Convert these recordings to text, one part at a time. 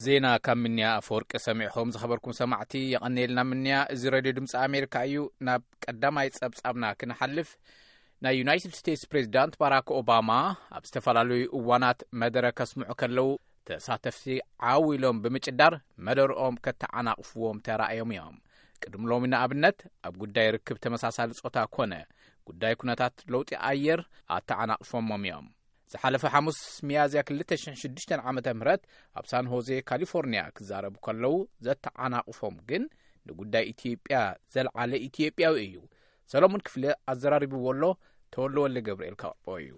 ዜና ካብ ምንያ ኣፈወርቂ ሰሚዕኹም ዝኸበርኩም ሰማዕቲ የቐንየልና ምንያ። እዚ ሬድዮ ድምፂ ኣሜሪካ እዩ። ናብ ቀዳማይ ጸብጻብና ክንሓልፍ፣ ናይ ዩናይትድ ስቴትስ ፕሬዚዳንት ባራክ ኦባማ ኣብ ዝተፈላለዩ እዋናት መደረ ከስምዑ ከለዉ፣ ተሳተፍቲ ዓው ኢሎም ብምጭዳር መደርኦም ከተዓናቕፍዎም ተራእዮም እዮም። ቅድሚ ሎሚ ንኣብነት ኣብ ጉዳይ ርክብ ተመሳሳሊ ጾታ ኮነ ጉዳይ ኩነታት ለውጢ ኣየር ኣተዓናቕፎሞም እዮም። ዝሓለፈ ሓሙስ ሚያዝያ ክልተ ሽሕን ሽዱሽተን ዓመተ ምህረት ኣብ ሳን ሆዜ ካሊፎርኒያ ክዛረቡ ከለዉ፣ ዘተዓናቕፎም ግን ንጉዳይ ኢትዮጵያ ዘልዓለ ኢትዮጵያዊ እዩ። ሰሎሞን ክፍለ ኣዘራሪብዎ ኣሎ። ተወልደ ወልደ ገብርኤል ከቕርቦ እዩ።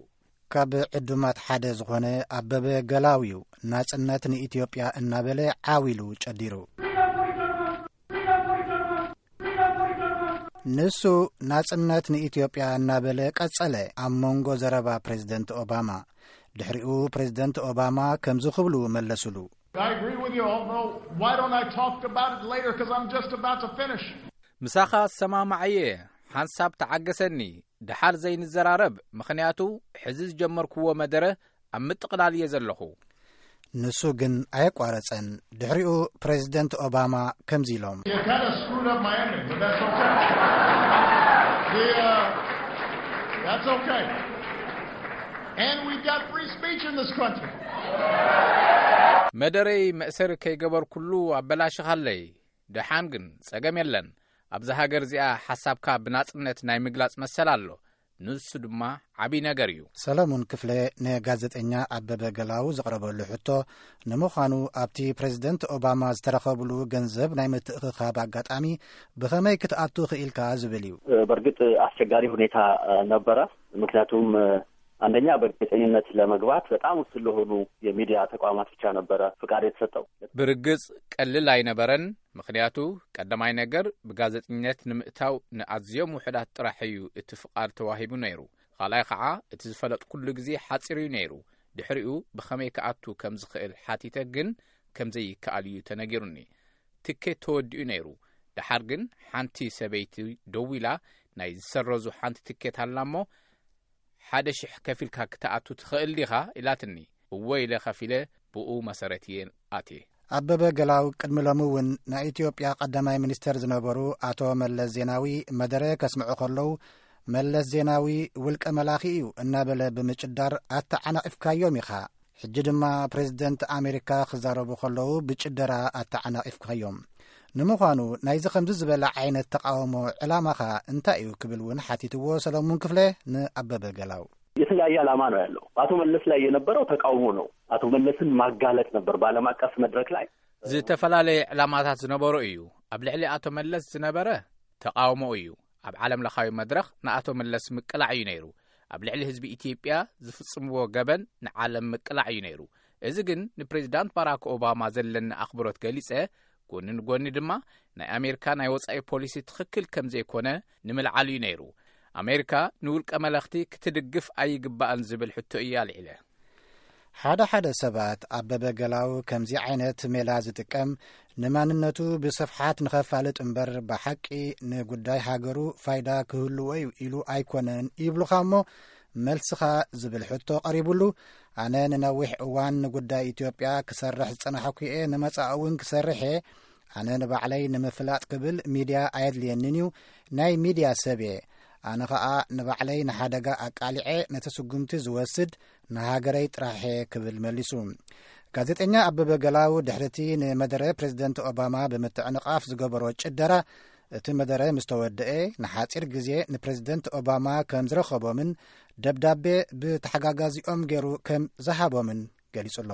ካብ ዕዱማት ሓደ ዝኾነ ኣበበ ገላው እዩ። ናጽነት ንኢትዮጵያ እናበለ ዓው ኢሉ ጨዲሩ። ንሱ ናጽነት ንኢትዮጵያ እናበለ ቀጸለ። ኣብ መንጎ ዘረባ ፕሬዝደንት ኦባማ፣ ድሕሪኡ ፕሬዝደንት ኦባማ ከምዚ ክብሉ መለሱሉ። I agree with you, although why don't I talk about it later, 'cause I'm just about to finish. ምሳኻ ዝሰማማዕ እየ። ሓንሳብ ተዓገሰኒ፣ ደሓር ዘይንዘራረብ፣ ምኽንያቱ ሕዚ ዝጀመርክዎ መደረ ኣብ ምጥቕላል እየ ዘለኹ። ንሱ ግን ኣየቋረጸን። ድሕሪኡ ፕሬዝደንት ኦባማ ከምዚ ኢሎም። You kind of screwed up my ending, but that's okay. The, uh, that's okay. And we've got free speech in this country. መደረይ መእሰሪ ከይገበርኩሉ ኣበላሽኻለይ። ደሓን ግን ጸገም የለን። ኣብዛ ሃገር እዚኣ ሓሳብካ ብናጽነት ናይ ምግላጽ መሰል ኣሎ። ንሱ ድማ ዓብዪ ነገር እዩ። ሰለሙን ክፍለ ንጋዜጠኛ ኣበበ ገላው ዘቕረበሉ ሕቶ፣ ንምዃኑ ኣብቲ ፕሬዝደንት ኦባማ ዝተረኸብሉ ገንዘብ ናይ ምትእኽኻብ ኣጋጣሚ ብኸመይ ክትኣቱ ክኢልካ ዝብል እዩ። በእርግጥ አስቸጋሪ ሁኔታ ነበረ። ምክንያቱም አንደኛ በጋዜጠኝነት ለመግባት በጣም ውስን ለሆኑ የሚዲያ ተቋማት ብቻ ነበረ ፍቃድ የተሰጠው። ብርግጽ ቀልል ኣይነበረን። ምኽንያቱ ቀዳማይ ነገር ብጋዜጠኝነት ንምእታው ንኣዝዮም ውሑዳት ጥራሕ እዩ እቲ ፍቃድ ተዋሂቡ ነይሩ። ካልኣይ ኸዓ እቲ ዝፈለጥኩሉ ግዜ ሓጺር እዩ ነይሩ። ድሕሪኡ ብኸመይ ክኣቱ ከም ዝኽእል ሓቲተ ግን ከም ዘይከኣል እዩ ተነጊሩኒ። ትኬት ተወዲኡ ነይሩ። ደሓር ግን ሓንቲ ሰበይቲ ደው ኢላ ናይ ዝሰረዙ ሓንቲ ትኬት ኣላ እሞ ሓደ ሽሕ ከፊልካ ክትኣቱ ትኽእል ዲኻ? ኢላትኒ። እወ ኢለ ከፊለ ብኡ መሰረት እየ ኣትየ። ኣበበ ገላው ቅድሚ ሎሚ እውን ናይ ኢትዮጵያ ቀዳማይ ሚኒስተር ዝነበሩ ኣቶ መለስ ዜናዊ መደረ ከስምዑ ከለዉ፣ መለስ ዜናዊ ውልቀ መላኺ እዩ እናበለ ብምጭዳር ኣተዓናቒፍካዮም ኢኻ። ሕጂ ድማ ፕሬዝደንት ኣሜሪካ ክዛረቡ ከለዉ ብጭደራ ኣተዓናቒፍካዮም። ንምዃኑ ናይዚ ከምዚ ዝበለ ዓይነት ተቃውሞ ዕላማኻ እንታይ እዩ ክብል እውን ሓቲትዎ ሰለሙን ክፍለ ንኣበበ ገላው። የተለያየ ዓላማ ነው ያለው። በአቶ መለስ ላይ የነበረው ተቃውሞ ነው። አቶ መለስን ማጋለጥ ነበር በዓለም አቀፍ መድረክ ላይ። ዝተፈላለየ ዕላማታት ዝነበሮ እዩ። ኣብ ልዕሊ ኣቶ መለስ ዝነበረ ተቃውሞ እዩ። ኣብ ዓለም ለኻዊ መድረኽ ንኣቶ መለስ ምቅላዕ እዩ ነይሩ። ኣብ ልዕሊ ህዝቢ ኢትዮጵያ ዝፍጽምዎ ገበን ንዓለም ምቅላዕ እዩ ነይሩ። እዚ ግን ንፕሬዚዳንት ባራክ ኦባማ ዘለኒ ኣኽብሮት ገሊጸ፣ ጎኒ ንጎኒ ድማ ናይ ኣሜሪካ ናይ ወጻኢ ፖሊሲ ትኽክል ከም ዘይኮነ ንምልዓል እዩ ነይሩ። ኣሜሪካ ንውልቀ መለኽቲ ክትድግፍ ኣይግባእን ዝብል ሕቶ እዩ ኣልዒለ። ሓደ ሓደ ሰባት ኣበበ ገላው ከምዚ ዓይነት ሜላ ዝጥቀም ንማንነቱ ብስፍሓት ንኸፋልጥ እምበር ብሓቂ ንጉዳይ ሃገሩ ፋይዳ ክህልዎ እዩ ኢሉ ኣይኮነን ይብሉኻ እሞ፣ መልስኻ ዝብል ሕቶ ቀሪቡሉ፣ ኣነ ንነዊሕ እዋን ንጉዳይ ኢትዮጵያ ክሰርሕ ዝጸናሕኩ እየ፣ ንመጻኢ እውን ክሰርሕ እየ። ኣነ ንባዕለይ ንምፍላጥ ክብል ሚድያ ኣየድልየንን እዩ፣ ናይ ሚድያ ሰብ እየ። ኣነ ኸኣ ንባዕለይ ንሓደጋ ኣቃሊዐ ነቲ ስጉምቲ ዝወስድ ንሃገረይ ጥራሕ እየ ክብል መሊሱ። ጋዜጠኛ ኣበበ ገላው ድሕሪ እቲ ንመደረ ፕሬዝደንት ኦባማ ብምትዕንቓፍ ዝገበሮ ጭደራ፣ እቲ መደረ ምስ ተወደአ ንሓጺር ግዜ ንፕሬዝደንት ኦባማ ከም ዝረኸቦምን ደብዳቤ ብተሓጋጋዚኦም ገይሩ ከም ዝሃቦምን ገሊጹ ኣሎ።